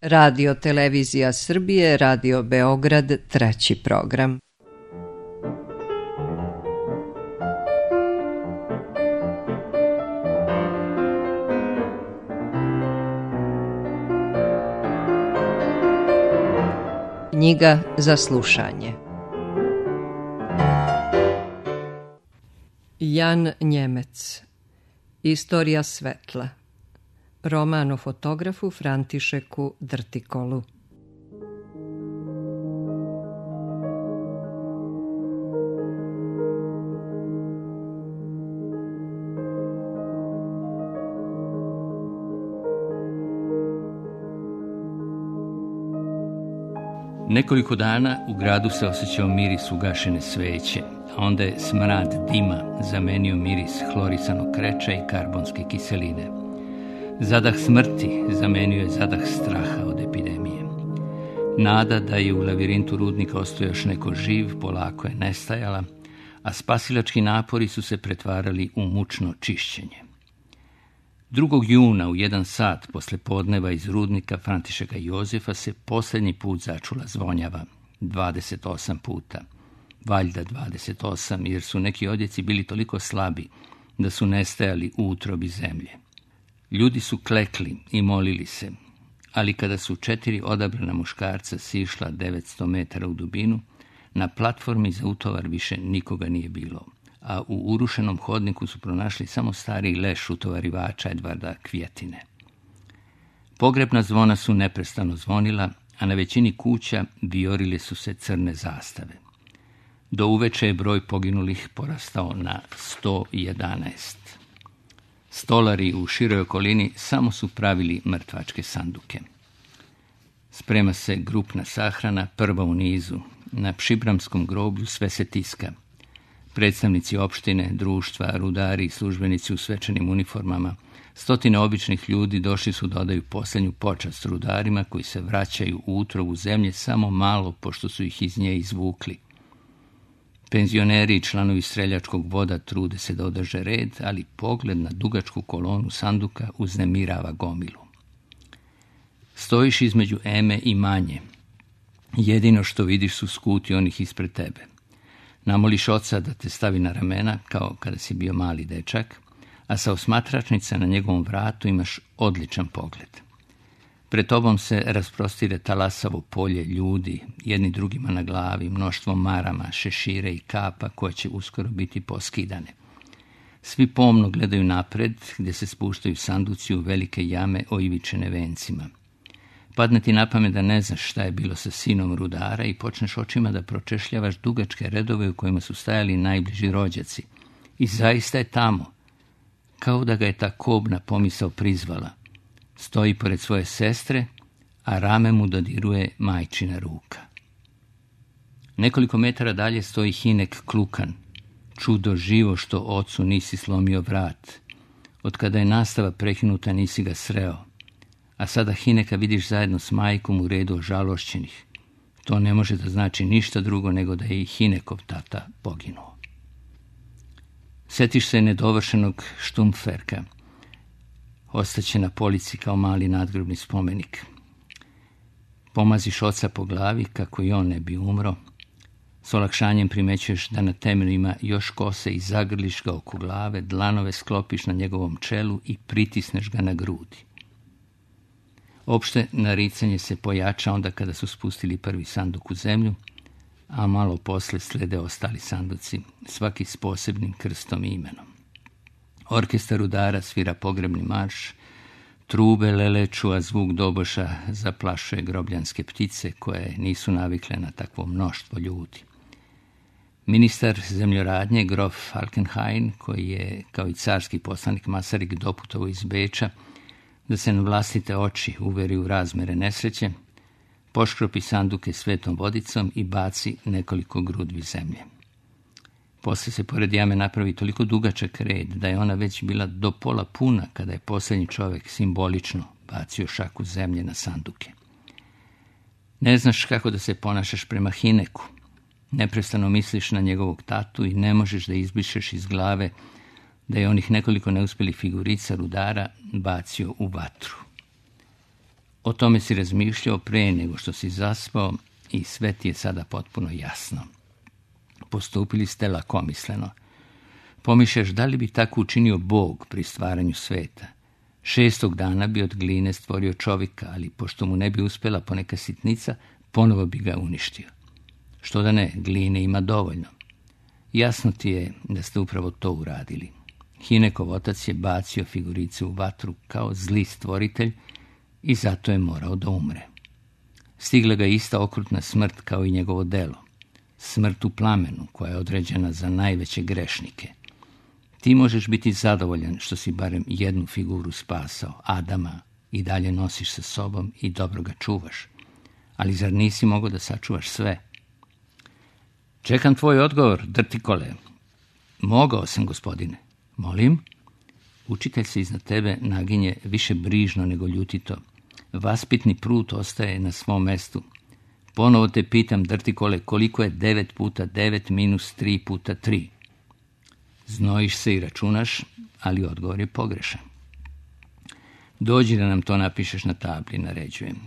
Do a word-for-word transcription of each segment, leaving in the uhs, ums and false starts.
Radio Televizija Srbije, Radio Beograd, treći program. Knjiga za slušanje. Jan Njemec. Istorija svetla. Roman o fotografu Františeku Drtikolu. Nekoliko dana u gradu se osjećao miris ugašene sveće, a onda je smrad dima zamenio miris hlorisanog kreča i karbonske kiseline. Zadah smrti zamenio je zadah straha od epidemije. Nada da je u lavirintu rudnika ostao još neko živ polako je nestajala, a spasilački napori su se pretvarali u mučno čišćenje. drugog juna u jedan sat posle podneva iz rudnika Františeka Jozefa se posljednji put začula zvonjava, dvadeset osam puta. Valjda dvadeset osam, jer su neki odjeci bili toliko slabi da su nestajali u utrobi zemlje. Ljudi su klekli i molili se, ali kada su četiri odabrana muškarca sišla devetsto metara u dubinu, na platformi za utovar više nikoga nije bilo, a u urušenom hodniku su pronašli samo stari leš utovarivača Edvarda Kvjetine. Pogrebna zvona su neprestano zvonila, a na većini kuća vijorile su se crne zastave. Do uveče je broj poginulih porastao na sto jedanaest. Stolari u široj okolini samo su pravili mrtvačke sanduke. Sprema se grupna sahrana, prva u nizu. Na Pšibramskom groblju sve se tiska. Predstavnici opštine, društva, rudari i službenici u svečanim uniformama, stotine običnih ljudi došli su da odaju posljednju počast rudarima koji se vraćaju u utrobu zemlje samo malo pošto su ih iz nje izvukli. Penzioneri i članovi streljačkog voda trude se da održe red, ali pogled na dugačku kolonu sanduka uznemirava gomilu. Stojiš između Eme i Manje. Jedino što vidiš su skuti onih ispred tebe. Namoliš oca da te stavi na ramena, kao kada si bio mali dečak, a sa osmatračnica na njegovom vratu imaš odličan pogled. Pred tobom se rasprostire talasavo polje ljudi, jedni drugima na glavi, mnoštvo marama, šešire i kapa koje će uskoro biti poskidane. Svi pomno gledaju napred, gdje se spuštaju sanduci u velike jame oivičene vencima. Padne ti na pamet da ne znaš šta je bilo sa sinom rudara i počneš očima da pročešljavaš dugačke redove u kojima su stajali najbliži rođaci. I zaista je tamo, kao da ga je ta kobna pomisao prizvala. Stoji pored svoje sestre, a rame mu dodiruje majčina ruka. Nekoliko metara dalje stoji Hinek Klukan, čudo živo što ocu nisi slomio vrat. Od kada je nastava prekinuta nisi ga sreo, a sada Hineka vidiš zajedno s majkom u redu ožalošćenih. To ne može da znači ništa drugo nego da je i Hinekov tata poginuo. Sjetiš se nedovršenog štumferka. Ostaće na polici kao mali nadgrobni spomenik. Pomaziš oca po glavi kako i on ne bi umro. S olakšanjem primećuješ da na temenu ima još kose i zagrliš ga oko glave, dlanove sklopiš na njegovom čelu i pritisneš ga na grudi. Opšte naricanje se pojača onda kada su spustili prvi sanduk u zemlju, a malo posle slede ostali sanduci, svaki s posebnim krstom i imenom. Orkestar rudara svira pogrebni marš, trube leleču, a zvuk doboša zaplašuje grobljanske ptice koje nisu navikle na takvo mnoštvo ljudi. Ministar zemljoradnje, grof Falkenhayn, koji je kao i carski poslanik Masarik doputovao iz Beča, da se na vlastite oči uveri u razmere nesreće, poškropi sanduke svetom vodicom i baci nekoliko grudvi zemlje. Posle se pored jame napravi toliko dugačak red da je ona već bila do pola puna kada je posljednji čovjek simbolično bacio šaku zemlje na sanduke. Ne znaš kako da se ponašaš prema Hineku. Neprestano misliš na njegovog tatu i ne možeš da izbrišeš iz glave da je onih nekoliko neuspjelih figurica rudara bacio u vatru. O tome si razmišljao pre nego što si zaspao i sve ti je sada potpuno jasno. Postupili ste lakomisleno. Pomišljaš da li bi tako učinio Bog pri stvaranju sveta. Šestog dana bi od gline stvorio čovjeka, ali pošto mu ne bi uspjela poneka sitnica, ponovo bi ga uništio. Što da ne, gline ima dovoljno. Jasno ti je da ste upravo to uradili. Hinekov otac je bacio figurice u vatru kao zli stvoritelj i zato je morao da umre. Stigla ga ista okrutna smrt kao i njegovo delo. Smrt u plamenu koja je određena za najveće grešnike. Ti možeš biti zadovoljan što si barem jednu figuru spasao, Adama, i dalje nosiš sa sobom i dobro ga čuvaš. Ali zar nisi mogao da sačuvaš sve? Čekam tvoj odgovor, drtikole. Mogao sam, gospodine. Molim? Učitelj se iznad tebe naginje više brižno nego ljutito. Vaspitni prut ostaje na svom mestu. Ponovo te pitam, drtikole, koliko je devet puta devet minus tri puta tri? Znojiš se i računaš, ali odgovor je pogrešan. Dođi da nam to napišeš na tabli, naređujem.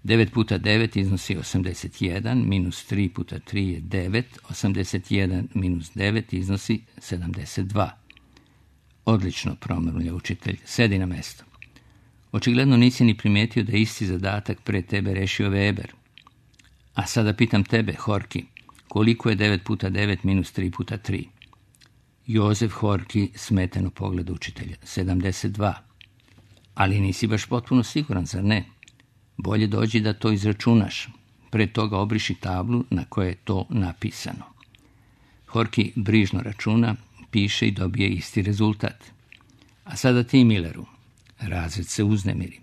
devet puta devet iznosi osamdeset jedan, minus tri puta tri je devet, osamdeset jedan minus devet iznosi sedamdeset dva. Odlično, promrmlja učitelj, sedi na mesto. Očigledno nisi ni primetio da je isti zadatak pre tebe rešio Weber. A sada pitam tebe, Horki, koliko je devet puta devet minus tri puta tri? Jozef Horki smeteno pogleda učitelja, sedamdeset dva. Ali nisi baš potpuno siguran, zar ne? Bolje dođi da to izračunaš. Pre toga obriši tablu na kojoj je to napisano. Horki brižno računa, piše i dobije isti rezultat. A sada ti, Milleru. Razred se uznemiri.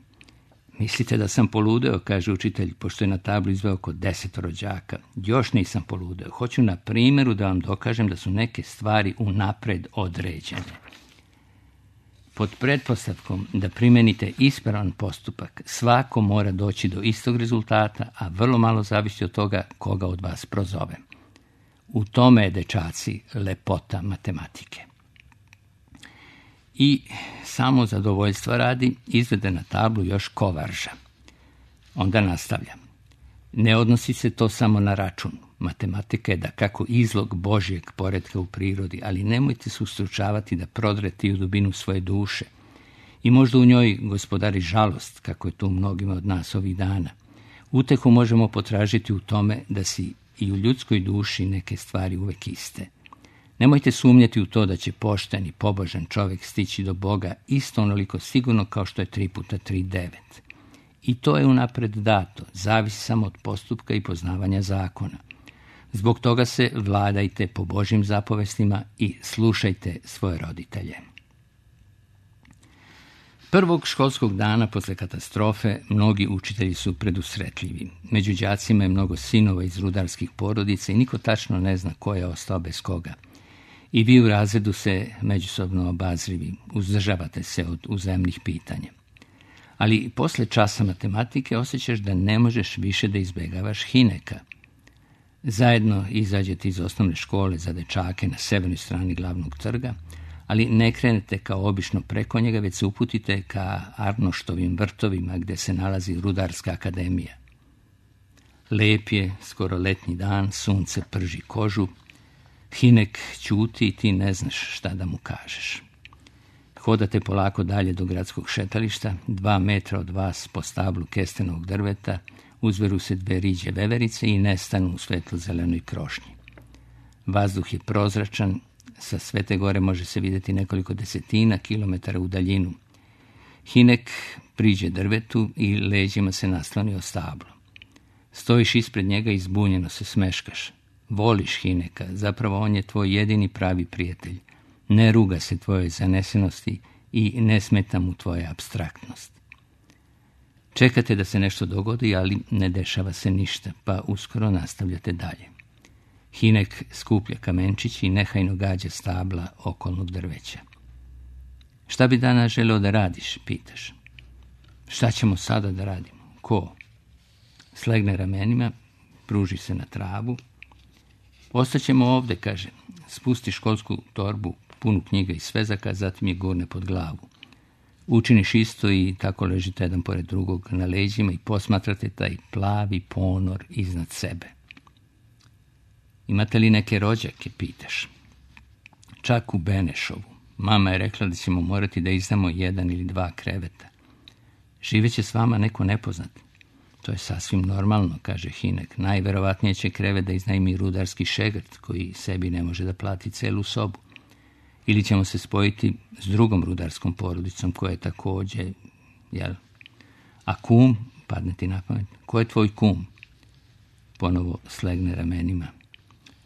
Mislite da sam poludeo, kaže učitelj, pošto je na tablu izveo oko deset rođaka. Još nisam poludeo. Hoću na primjeru da vam dokažem da su neke stvari unapred određene. Pod pretpostavkom da primenite ispravan postupak, svako mora doći do istog rezultata, a vrlo malo zavisi od toga koga od vas prozove. U tome je, dečaci, lepota matematike. I samo zadovoljstva radi izvede na tablu još kovarža. Onda nastavlja. Ne odnosi se to samo na račun. Matematika je da kako izlog Božjeg poretka u prirodi, ali nemojte se ustručavati da prodrete u dubinu svoje duše. I možda u njoj gospodari žalost, kako je to u mnogima od nas ovih dana. Utehu možemo potražiti u tome da si i u ljudskoj duši neke stvari uvek iste. Nemojte sumnjati u to da će pošten i pobožan čovjek stići do Boga isto onoliko sigurno kao što je tri puta tri devet. I to je unapred dato, zavisi samo od postupka i poznavanja zakona. Zbog toga se vladajte po Božjim zapovestima i slušajte svoje roditelje. Prvog školskog dana posle katastrofe mnogi učitelji su predusretljivi. Među đacima je mnogo sinova iz rudarskih porodica i niko tačno ne zna ko je ostao bez koga. I vi u razredu se međusobno obazrivi, uzdržavate se od uzajamnih pitanja. Ali posle časa matematike osjećaš da ne možeš više da izbegavaš Hineka. Zajedno izađete iz osnovne škole za dečake na severnoj strani glavnog trga, ali ne krenete kao obično preko njega, već se uputite ka Arnoštovim vrtovima gde se nalazi Rudarska akademija. Lep je, skoro letnji dan, sunce prži kožu, Hinek ćuti i ti ne znaš šta da mu kažeš. Hodate polako dalje do gradskog šetališta, dva metra od vas po stablu kestenog drveta, uzveru se dve riđe veverice i nestanu u svetlo-zelenoj krošnji. Vazduh je prozračan, sa Svete Gore može se vidjeti nekoliko desetina kilometara u daljinu. Hinek priđe drvetu i leđima se nasloni o stablo. Stojiš ispred njega i zbunjeno se smeškaš. Voliš Hineka, zapravo on je tvoj jedini pravi prijatelj. Ne ruga se tvojoj zanesenosti i ne smeta mu tvoja apstraktnost. Čekate da se nešto dogodi, ali ne dešava se ništa, pa uskoro nastavljate dalje. Hinek skuplja kamenčić i nehajno gađa stabla okolnog drveća. Šta bi danas želeo da radiš, pitaš. Šta ćemo sada da radimo? Ko? Slegne ramenima, pruži se na travu. Ostaćemo ovde, kaže. Spusti školsku torbu, punu knjiga i svezaka, zatim je gurne pod glavu. Učiniš isto i tako ležite jedan pored drugog na leđima i posmatrate taj plavi ponor iznad sebe. Imate li neke rođake, pitaš? Čak u Benešovu. Mama je rekla da ćemo morati da izdamo jedan ili dva kreveta. Živeće s vama neko nepoznat. To je sasvim normalno, kaže Hinek. Najverovatnije će krevet da iznajmi rudarski šegrt koji sebi ne može da plati celu sobu. Ili ćemo se spojiti s drugom rudarskom porodicom koja je također, jel? A kum, padne ti na pamet, ko je tvoj kum? Ponovo slegne ramenima.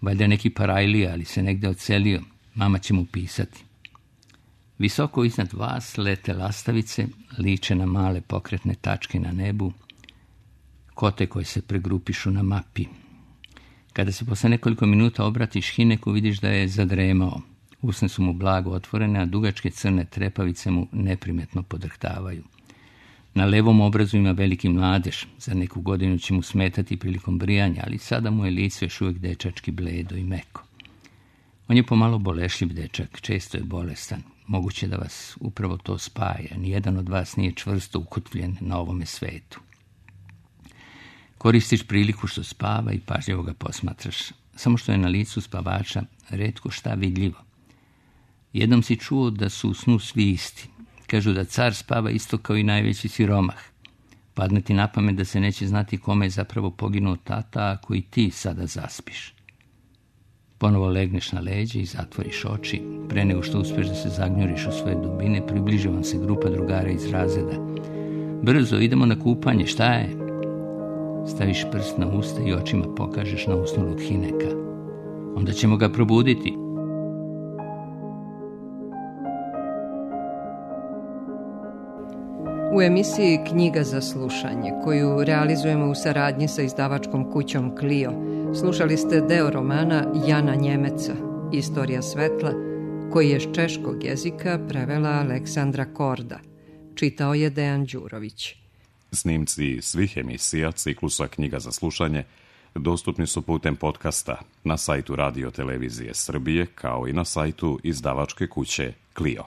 Valjda neki parajlija, ali se negde odselio. Mama će mu pisati. Visoko iznad vas lete lastavice, liče na male pokretne tačke na nebu, kote koje se pregrupišu na mapi. Kada se posle nekoliko minuta obratiš Hineku, vidiš da je zadremao. Usne su mu blago otvorene, a dugačke crne trepavice mu neprimetno podrhtavaju. Na levom obrazu ima veliki mladež. Za neku godinu će mu smetati prilikom brijanja, ali sada mu je lice još uvijek dečački bledo i meko. On je pomalo bolešljiv dečak, često je bolestan. Moguće da vas upravo to spaja. Nijedan od vas nije čvrsto ukotvljen na ovome svetu. Koristiš priliku što spava i pažljivo ga posmatraš. Samo što je na licu spavača retko šta vidljivo. Jednom si čuo da su u snu svi isti. Kažu da car spava isto kao i najveći siromah. Padne ti na pamet da se neće znati kome je zapravo poginuo tata ako i ti sada zaspiš. Ponovo legneš na leđe i zatvoriš oči. Pre nego što uspeš da se zagnjuriš u svoje dubine, približi vam se grupa drugara iz razreda. Brzo, idemo na kupanje, šta je? Staviš prst na usta i očima pokažeš na usnulog Hineka. Onda ćemo ga probuditi. U emisiji Knjiga za slušanje, koju realizujemo u saradnji sa izdavačkom kućom Clio, slušali ste deo romana Jana Njemeca, Istorija svetla, koji je s češkog jezika prevela Aleksandra Korda. Čitao je Dejan Đurović. Snimci svih emisija ciklusa Knjiga za slušanje dostupni su putem podcasta na sajtu Radio Televizije Srbije, kao i na sajtu izdavačke kuće Clio.